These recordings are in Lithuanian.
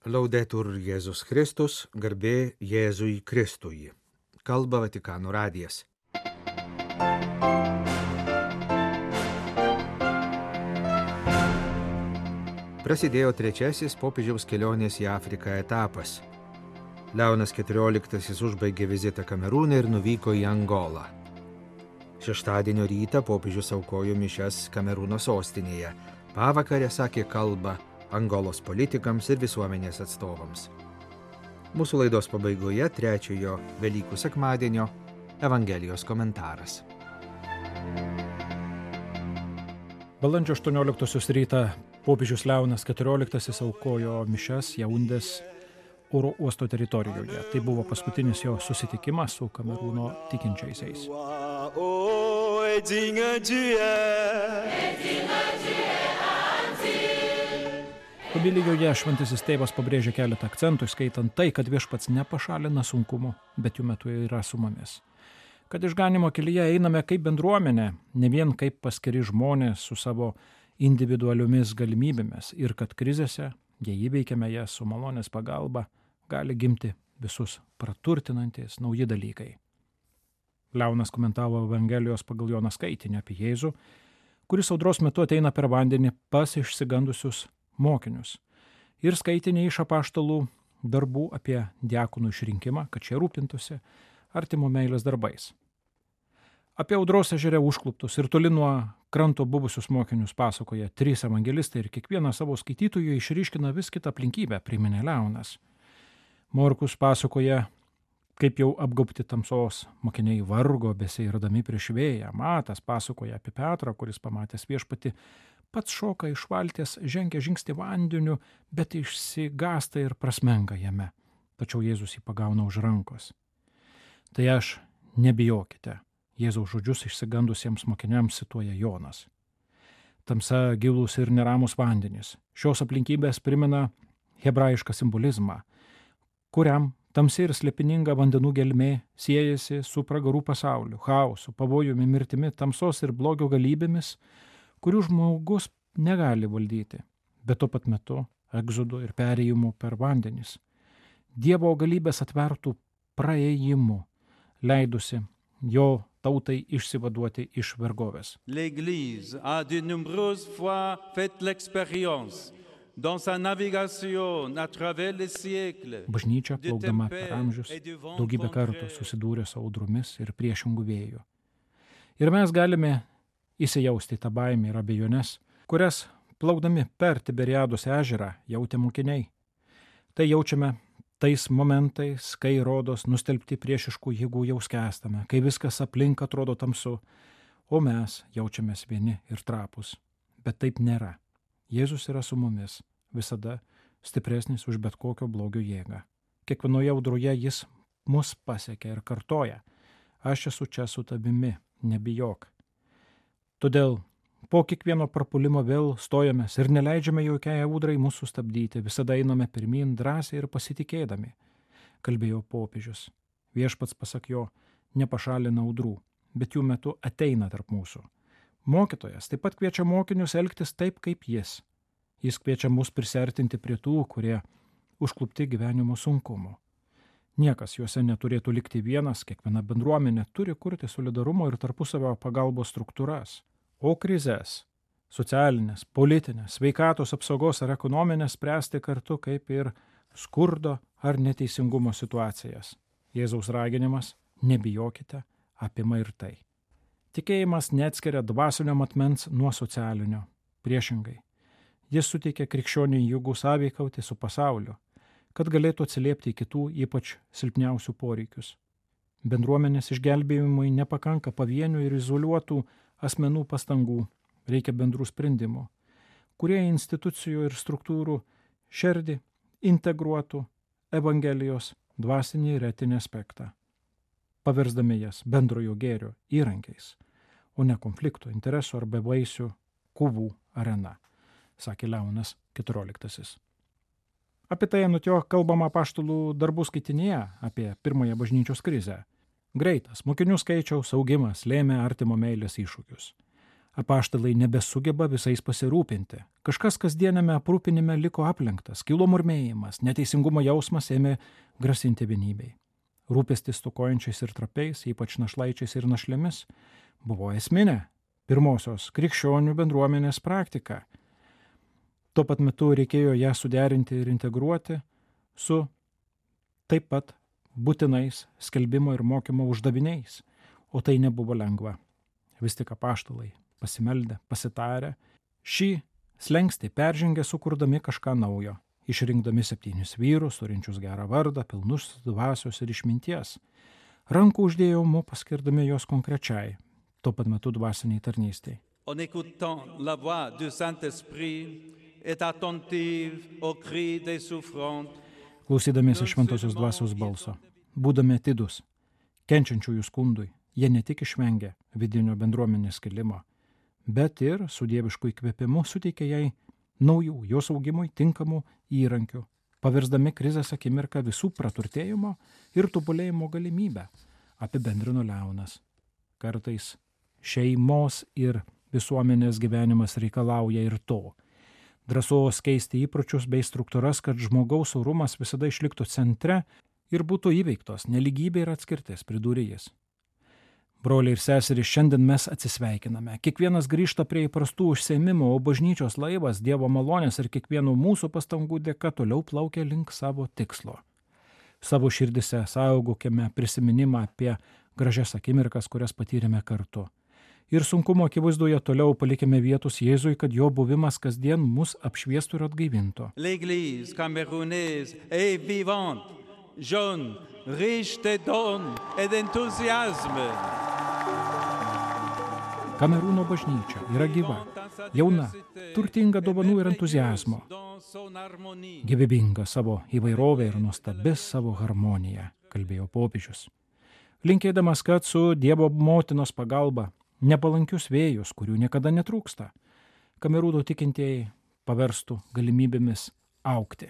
Laudetur Jėzus Kristus, garbė Jėzui Kristui. Kalba Vatikano radijas. Prasidėjo trečiasis popiežiaus kelionės į Afriką etapas. Leonas XIV užbaigė vizitą Kamerūne ir nuvyko į Angolą. Šeštadienio rytą popiežius aukojo mišias Kamerūno sostinėje. Pavakarę sakė kalbą Angolos politikams ir visuomenės atstovams. Mūsų laidos pabaigoje trečiojo Velykų sekmadienio Evangelijos komentaras. Balandžio 18 rytą popiežius Leonas XIV aukojo mišias Jaundės oro uosto teritorijoje. Tai buvo paskutinis jo susitikimas su Kamerūno tikinčiaisiais. Homilijoje šventasis tėvas pabrėžė keletą akcentų, skaitant tai, kad viešpats nepašalina sunkumų, bet jų metu yra su mumis. Kad išganimo kelyje einame kaip bendruomenė, ne vien kaip paskiri žmonės su savo individualiomis galimybėmis ir kad krizėse, jei įveikiame jas su malonės pagalba, gali gimti visus praturtinantis nauji dalykai. Leonas komentavo Evangelijos pagal Joną skaitinį apie Jėzų, kuris audros metu ateina per vandenį pas išsigandusius mokinius ir skaitinį iš apaštalų darbų apie diakonų išrinkimą, kad šie rūpintųsi artimo meilės darbais. Apie audros ežere užkluptus ir toli nuo kranto buvusius mokinius pasakoja 3 evangelistai ir kiekvieną savo skaitytojų išryškina vis kitą aplinkybę, priminė Leonas. Morkus pasakoja, kaip jau apgaubti tamsos mokiniai vargo beseirdami prieš vėją. Matas pasakoja apie Petrą, kuris pamatęs viešpatį pats šoka iš valties, žengia žingsnį vandeniu, bet išsigąsta ir prasmenga jame. Tačiau Jėzus jį pagauna už rankos. Tai aš, nebijokite. Jėzaus žodžius išsigandusiems mokiniams cituoja Jonas. Tamsa, gilūs ir neramus vandenys. Šios aplinkybės primena hebrajišką simbolizmą, kuriam tamsi ir slėpininga vandenų gelmė siejasi su pragarų pasauliu, chaosu, pavojumi, mirtimi, tamsos ir blogio galybėmis, kurių žmogus negali valdyti, bet tuo pat metu egzodu ir perėjimu per vandenis. Dievo galybės atvertų praėjimu, leidusi jo tautai išsivaduoti iš vergovės. L'Église a de nombreuses fois fait l'expérience dans sa navigation à travers les siècles. Bažnyčia, plaukdama per amžius, daugybę kartų susidūrė su audromis ir priešingų vėjų. Ir mes galime įsijausti tą baimę ir abejones, kurias plaukdami per Tiberiados ežerą jautė mokiniai. Tai jaučiame tais momentais, kai rodos nustelbti priešiškų jėgų jau skęstame, kai viskas aplink atrodo tamsu, o mes jaučiamės vieni ir trapus. Bet taip nėra. Jėzus yra su mumis, visada stipresnis už bet kokio blogio jėgą. Kiekvienoje audroje jis mus pasiekia ir kartoja: aš esu čia su tavimi, nebijok. Todėl po kiekvieno prapulimo vėl stojamės ir neleidžiame jokiai audrai mūsų sustabdyti, visada einame pirmyn drąsiai ir pasitikėdami, kalbėjo popiežius. Viešpats, pasak jo, nepašalina audrų, bet jų metu ateina tarp mūsų. Mokytojas taip pat kviečia mokinius elgtis taip, kaip jis. Jis kviečia mus prisiartinti prie tų, kurie užklupti gyvenimo sunkumu. Niekas juose neturėtų likti vienas, kiekviena bendruomenė turi kurti solidarumo ir tarpusavio pagalbos struktūras. O krizes, socialinės, politinės, sveikatos apsaugos ar ekonominės spręsti kartu kaip ir skurdo ar neteisingumo situacijas. Jėzaus raginimas nebijokite apima ir tai. Tikėjimas neatskiria dvasinio matmens nuo socialinio. Priešingai, jis suteikia krikščioniui jėgų sąveikauti su pasauliu, kad galėtų atsiliepti į kitų, ypač silpniausių poreikius. Bendruomenės išgelbėjimui nepakanka pavienių ir izoliuotų asmenų pastangų, reikia bendrų sprendimų, kurie institucijų ir struktūrų širdį integruotų Evangelijos dvasinį ir etinį aspektą, paversdami jas bendrojo gėrio įrankiais, o ne konflikto, interesų ar bevaisių kovų arena, sakė Leonas XIV. Apie tai anot jo kalbama apaštalų darbų skaitinėje apie pirmąją bažnyčios krizę. Greitas mokinių skaičiaus augimas lėmė artimo meilės iššūkius. Apaštalai nebesugeba visais pasirūpinti. Kažkas kasdienėme aprūpinime liko aplenktas, kilo murmėjimas, neteisingumo jausmas ėmė grasinti vienybei. Rūpestis stokojančiais ir trapiais, ypač našlaičiais ir našlėmis, buvo esminė pirmosios krikščionių bendruomenės praktika. Tuo pat metu reikėjo ją suderinti ir integruoti su taip pat būtinais skelbimo ir mokymo uždaviniais, o tai nebuvo lengva. Vis tik apaštalai pasimeldę, pasitarę, šį slenkstį peržengė sukurdami kažką naujo, išrinkdami 7 vyrus, turinčius gerą vardą, pilnus dvasios ir išminties. Rankų uždėjimu paskirdami juos konkrečiai, tuo pat metu dvasiniai tarnystei. En écoutant la voix du Saint-Esprit et attentive aux cris des souffrantes. Klausydamiesi šventosios dvasios balso, būdami atidus, kenčiančiųjų skundui, jie ne tik išvengė vidinio bendruomenės skilimo, bet ir su dievišku įkvėpimu suteikė jai naujų, jos augimui tinkamų įrankių, pavirsdami krizės akimirką visų praturtėjimo ir tobulėjimo galimybę, apibendrino Leonas. Kartais šeimos ir visuomenės gyvenimas reikalauja ir to. Drąsos keisti įpročius bei struktūras, kad žmogaus orumas visada išliktų centre ir būtų įveiktos nelygybė ir atskirtis, pridūrė jis. Broliai ir seserys, šiandien mes atsisveikiname. Kiekvienas grįžta prie įprastų užsiėmimų, o bažnyčios laivas, Dievo malonės ir kiekvieno mūsų pastangų dėka toliau plaukia link savo tikslo. Savo širdise saugokime prisiminimą apie gražias akimirkas, kurias patyrėme kartu. Ir sunkumo akivaizdoje toliau palikime vietos Jėzui, kad jo buvimas kasdien mus apšviestų ir atgaivintų. L'Église camerounaise est vivante, jeune, riche de dons et d'enthousiasme. Kamerūno bažnyčia yra gyva, jauna, turtinga dovanų ir entuziazmo, gyvybinga savo įvairovę ir nuostabi savo harmoniją, kalbėjo popiežius. Linkėdamas, kad su Dievo motinos pagalba nepalankius vėjus, kurių niekada netrūksta, Kamerūno tikintieji paverstų galimybėmis augti,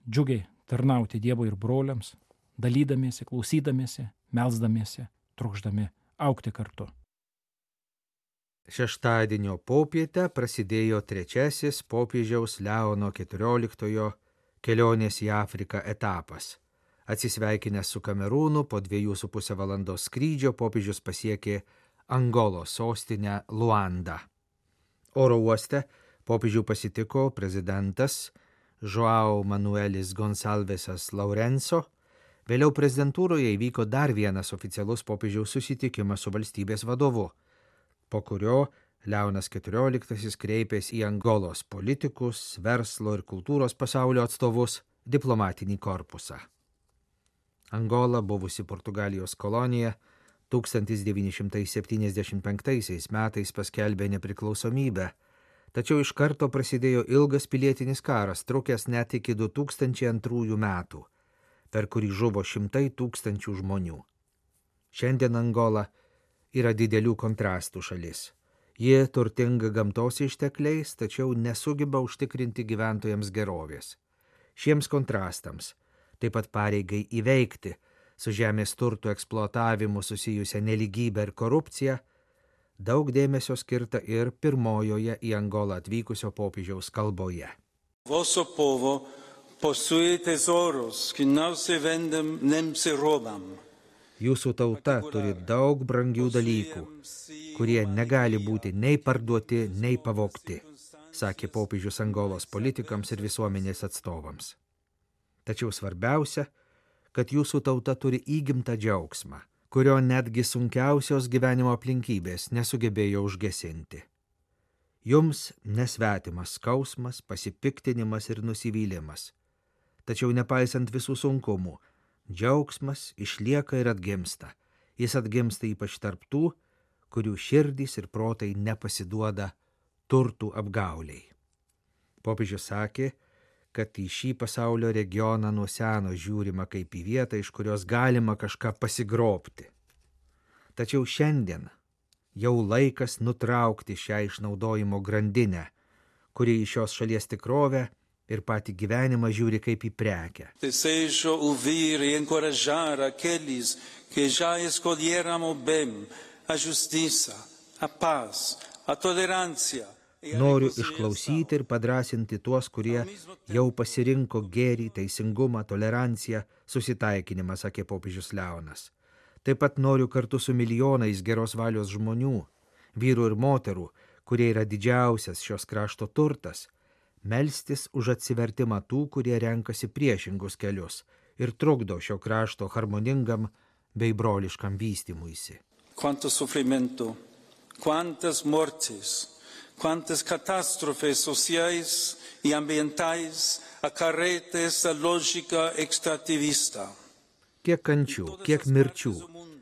džiugiai tarnauti Dievui ir broliams, dalydamiesi, klausydamiesi, melsdamiesi, trokšdami augti kartu. Šeštadienio popietę prasidėjo 3. popiežiaus Leono XIV kelionės į Afriką etapas. Atsisveikinęs su Kamerūnu, po 2,5 valandos skrydžio popiežius pasiekė Angolos sostinę Luandą. Oro uoste popiežių pasitiko prezidentas João Manuelis Gonçalvesas Lourenço. Vėliau prezidentūroje įvyko dar vienas oficialus popiežiaus susitikimas su valstybės vadovu, po kurio Leonas XIV kreipėsi į Angolos politikus, verslo ir kultūros pasaulio atstovus, diplomatinį korpusą. Angola, buvusi Portugalijos kolonija, 1975 metais paskelbė nepriklausomybę, tačiau iš karto prasidėjo ilgas pilietinis karas, trukęs net iki 2002 metų, per kurį žuvo 100 000 žmonių. Šiandien Angola yra didelių kontrastų šalis. Ji turtinga gamtos ištekliais, tačiau nesugeba užtikrinti gyventojams gerovės. Šiems kontrastams, taip pat pareigai įveikti su žemės turtų eksploatavimu susijusią nelygybę ir korupciją, daug dėmesio skirta ir pirmojoje į Angolą atvykusio popiežiaus kalboje. Vosso povo possui tesoros que não se vendem nem se robam. Jūsų tauta turi daug brangių dalykų, kurie negali būti nei parduoti, nei pavogti, sakė popiežius Angolos politikams ir visuomenės atstovams. Tačiau svarbiausia, kad jūsų tauta turi įgimtą džiaugsmą, kurio netgi sunkiausios gyvenimo aplinkybės nesugebėjo užgesinti. Jums nesvetimas skausmas, pasipiktinimas ir nusivylimas. Tačiau nepaisant visų sunkumų, džiaugsmas išlieka ir atgimsta. Jis atgimsta ypač tarp tų, kurių širdys ir protai nepasiduoda turtų apgauliai. Popiežius sakė, kad į šį pasaulio regioną nuo seno žiūrima kaip į vietą, iš kurios galima kažką pasigrobti. Tačiau šiandien jau laikas nutraukti šią išnaudojimo grandinę, kuri į šios šalies tikrovę ir patį gyvenimą žiūri kaip į prekę. Desejo ouvir e encorajar aqueles que já escolheram o bem, a justiça, a paz, Noriu išklausyti ir padrasinti tuos, kurie jau pasirinko gėrį, teisingumą, toleranciją, susitaikinimą, sakė popiežius Leonas. Taip pat noriu kartu su milijonais geros valios žmonių, vyrų ir moterų, kurie yra didžiausias šios krašto turtas, melstis už atsivertimą tų, kurie renkasi priešingus kelius ir trukdo šio krašto harmoningam bei broliškam vystymuisi. Quanto sofrimento, quantas mortes, quantas catástrofes sociais y ambientais acarreta esta lógica extractivista. Kiek kančių, kiek mirčių,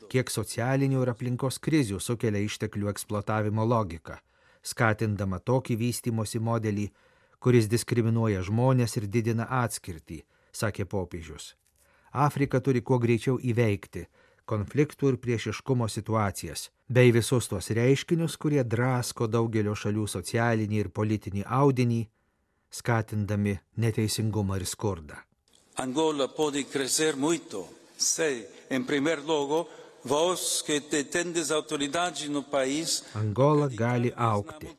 kiek socialinių ir aplinkos krizių sukelia išteklių eksploatavimo logika, skatindama tokį vystymosi modelį, kuris diskriminuoja žmonės ir didina atskirtį, sakė popiežius. Afrika turi kuo greičiau įveikti konfliktų ir priešiškumo situacijas, bei visus tuos reiškinius, kurie drasko daugelio šalių socialinį ir politinį audinį, skatindami neteisingumą ir skurdą. Angola puede crecer mucho, si, en primer lugar, vos que tendes autoridades no país. Angola gali augti,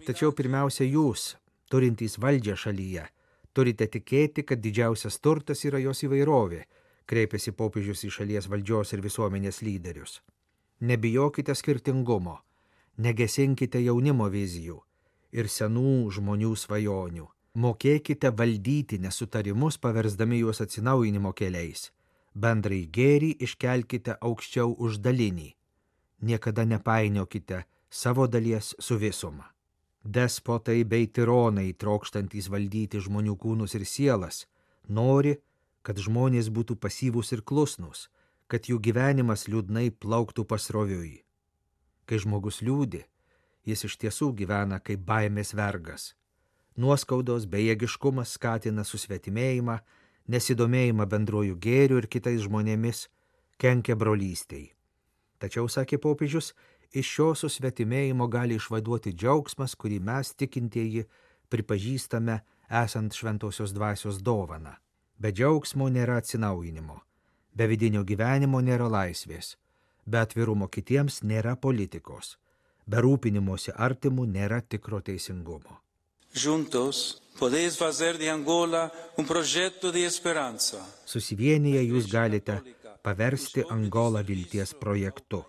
tačiau pirmiausia jūs, turintys valdžią šalyje, turite tikėti, kad didžiausias turtas yra jos įvairovė, kreipėsi popiežius į šalies valdžios ir visuomenės lyderius. Nebijokite skirtingumo, negesinkite jaunimo vizijų ir senų žmonių svajonių. Mokėkite valdyti nesutarimus, paversdami juos atsinaujinimo keliais. Bendrai gėrį iškelkite aukščiau už dalinį. Niekada nepainiokite savo dalies su visuma. Despotai bei tironai, trokštantys valdyti žmonių kūnus ir sielas, nori, kad žmonės būtų pasyvūs ir klusnūs, kad jų gyvenimas liūdnai plauktų pasroviui. Kai žmogus liūdi, jis iš tiesų gyvena kaip baimės vergas. Nuoskaudos bejėgiškumas skatina susvetimėjimą, nesidomėjimą bendruoju gėriu ir kitais žmonėmis, kenkia brolystei. Tačiau, sakė popiežius, iš šio susvetimėjimo gali išvaduoti džiaugsmas, kurį mes tikintieji pripažįstame esant šventosios dvasios dovaną. Be džiaugsmo nėra atsinaujinimo, be vidinio gyvenimo nėra laisvės, be atvirumo kitiems nėra politikos, be rūpinimosi artimų nėra tikro teisingumo. Juntos podéis fazer de Angola un proyecto de esperanza. Susivienyje jūs galite paversti Angolą vilties projektu,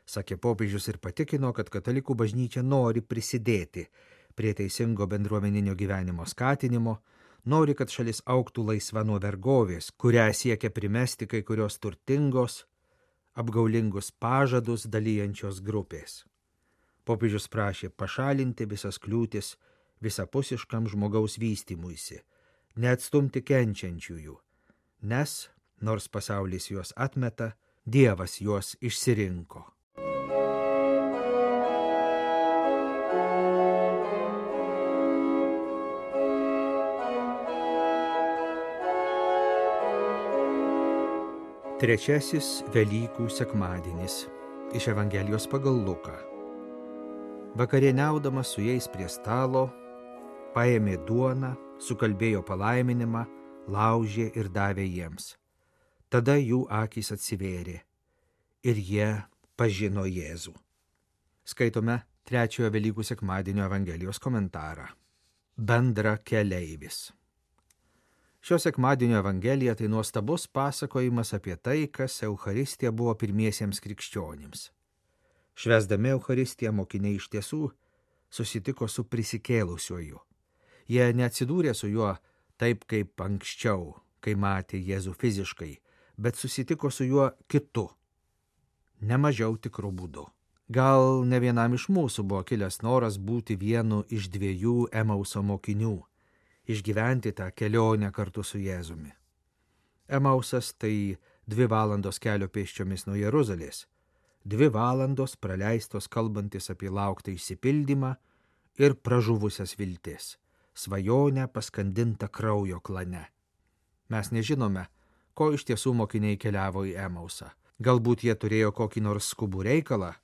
sakė popiežius ir patikino, kad katalikų bažnyčia nori prisidėti prie teisingo bendruomeninio gyvenimo skatinimo, nori, kad šalis augtų laisva nuo vergovės, kurią siekia primesti kai kurios turtingos, apgaulingus pažadus dalijančios grupės. Popiežius prašė pašalinti visas kliūtis visapusiškam žmogaus vystymuisi, neatstumti kenčiančiųjų, nes, nors pasaulis juos atmeta, Dievas juos išsirinko. Trečiasis Velykų sekmadienis iš Evangelijos pagal Luką. Vakarieniaudamas su jais prie stalo, paėmė duoną, sukalbėjo palaiminimą, laužė ir davė jiems. Tada jų akys atsivėrė ir jie pažino Jėzų. Skaitome trečiojo Velykų sekmadienio Evangelijos komentarą. Bendra keleivis. Šio sekmadienio Evangelija tai nuostabus pasakojimas apie tai, kas Eucharistija buvo pirmiesiems krikščionims. Švęsdami Eucharistiją mokiniai iš tiesų susitiko su prisikėlusiuoju. Jie neatsidūrė su juo taip kaip anksčiau, kai matė Jėzų fiziškai, bet susitiko su juo kitu, nemažiau tikru būdu. Gal ne vienam iš mūsų buvo kilęs noras būti vienu iš 2 Emauso mokinių, išgyventi tą kelionę kartu su Jėzumi. Emausas tai 2 valandos kelio pėsčiomis nuo Jeruzalės, 2 valandos praleistos kalbantis apie lauktą išsipildymą ir pražuvusias viltis, svajonę paskandintą kraujo klane. Mes nežinome, ko iš tiesų mokiniai keliavo į Emausą. Galbūt jie turėjo kokį nors skubų reikalą,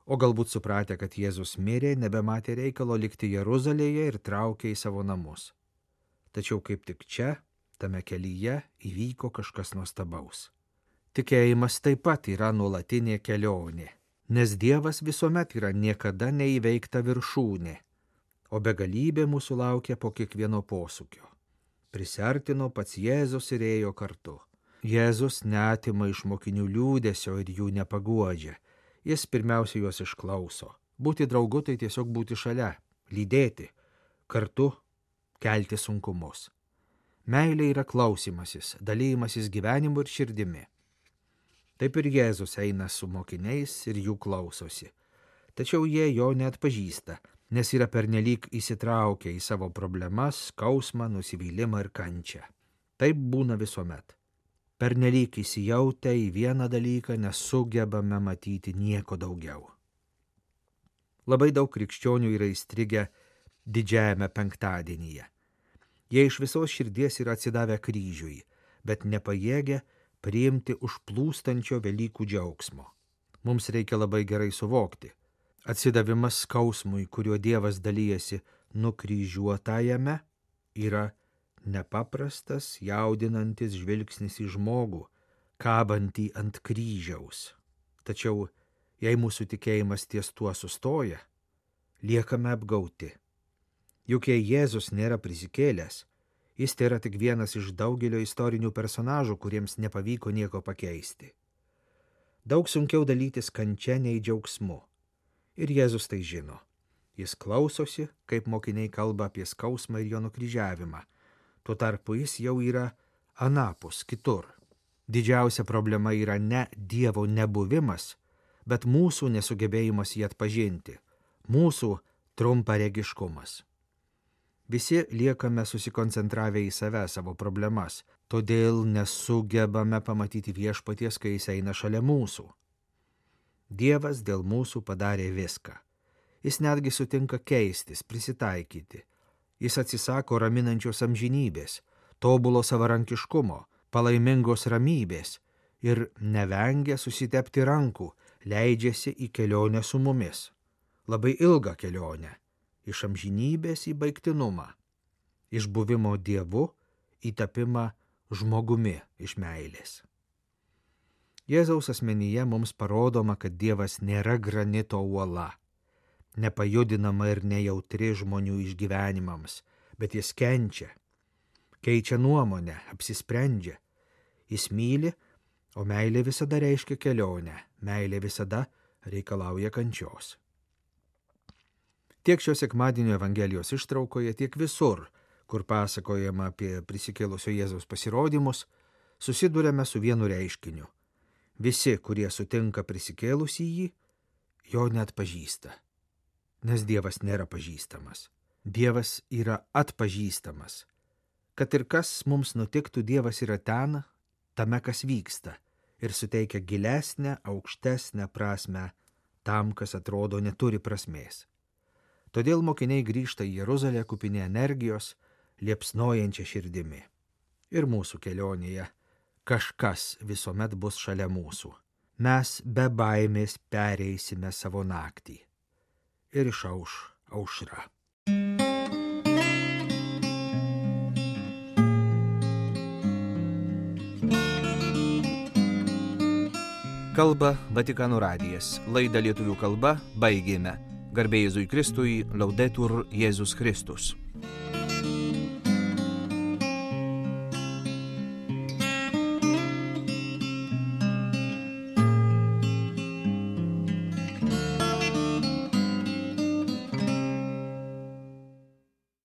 o galbūt supratę, kad Jėzus mirė, nebematė reikalo likti Jeruzalėje ir traukė į savo namus. Tačiau kaip tik čia, tame kelyje, įvyko kažkas nuostabaus. Tikėjimas taip pat yra nuolatinė kelionė. Nes Dievas visuomet yra niekada neįveikta viršūnė, o begalybė mūsų laukia po kiekvieno posūkio. Prisiartino pats Jėzus ir ėjo kartu. Jėzus neatima iš mokinių liūdesio ir jų nepaguodžia. Jis pirmiausia juos išklauso. Būti draugu tai tiesiog būti šalia, lydėti, kartu kelti sunkumus. Meilė yra klausymasis, dalymasis gyvenimu ir širdimi. Taip ir Jėzus eina su mokiniais ir jų klausosi. Tačiau jie jo neatpažįsta, nes yra pernelyg įsitraukę į savo problemas, skausmą, nusivylimą ir kančią. Taip būna visuomet. Pernelyg įsijautę į vieną dalyką nesugebame matyti nieko daugiau. Labai daug krikščionių yra įstrigę didžiajame penktadienyje. Jie iš visos širdies yra atsidavę kryžiui, bet nepajėgia priimti užplūstančio Velykų džiaugsmo. Mums reikia labai gerai suvokti. Atsidavimas skausmui, kuriuo Dievas dalyjasi nukryžiuotajame, yra nepaprastas, jaudinantis žvilgsnis į žmogų, kabantį ant kryžiaus. Tačiau, jei mūsų tikėjimas ties tuo sustoja, liekame apgauti. Juk jei Jėzus nėra prisikėlęs, jis tėra tik vienas iš daugelio istorinių personažų, kuriems nepavyko nieko pakeisti. Daug sunkiau dalytis kančia nei džiaugsmu. Ir Jėzus tai žino. Jis klausosi, kaip mokiniai kalba apie skausmą ir jo nukryžiavimą. Tuo tarpu jis jau yra anapus, kitur. Didžiausia problema yra ne Dievo nebuvimas, bet mūsų nesugebėjimas jį atpažinti, mūsų trumparegiškumas. Visi liekame susikoncentravę į save, savo problemas, todėl nesugebame pamatyti viešpaties, kai jis eina šalia mūsų. Dievas dėl mūsų padarė viską. Jis netgi sutinka keistis, prisitaikyti. Jis atsisako raminančios amžinybės, tobulo savarankiškumo, palaimingos ramybės ir nevengia susitepti rankų, leidžiasi į kelionę su mumis. Labai ilgą kelionę. Iš amžinybės į baigtinumą, iš buvimo Dievu į tapimą žmogumi iš meilės. Jėzaus asmenyje mums parodoma, kad Dievas nėra granito uola, nepajudinama ir nejautri žmonių išgyvenimams, bet jis kenčia, keičia nuomonę, apsisprendžia. Jis myli, o meilė visada reiškia kelionę, meilė visada reikalauja kančios. Tiek šio sekmadienio Evangelijos ištraukoje, tiek visur, kur pasakojama apie prisikėlusio Jėzaus pasirodymus, susiduriame su vienu reiškiniu. Visi, kurie sutinka prisikėlusį jį, jo neatpažįsta. Nes Dievas nėra pažįstamas. Dievas yra atpažįstamas. Kad ir kas mums nutiktų, Dievas yra ten, tame, kas vyksta, ir suteikia gilesnę, aukštesnę prasmę tam, kas atrodo neturi prasmės. Todėl mokiniai grįžta į Jeruzalę kupini energijos, liepsnojančia širdimi. Ir mūsų kelionėje kažkas visuomet bus šalia mūsų. Mes be baimės pereisime savo naktį. Ir išauš aušra. Kalba Vatikano radijas. Laidą lietuvių kalba baigėme. Garbė Jėzui Kristui, Laudetur Jėzus Kristus.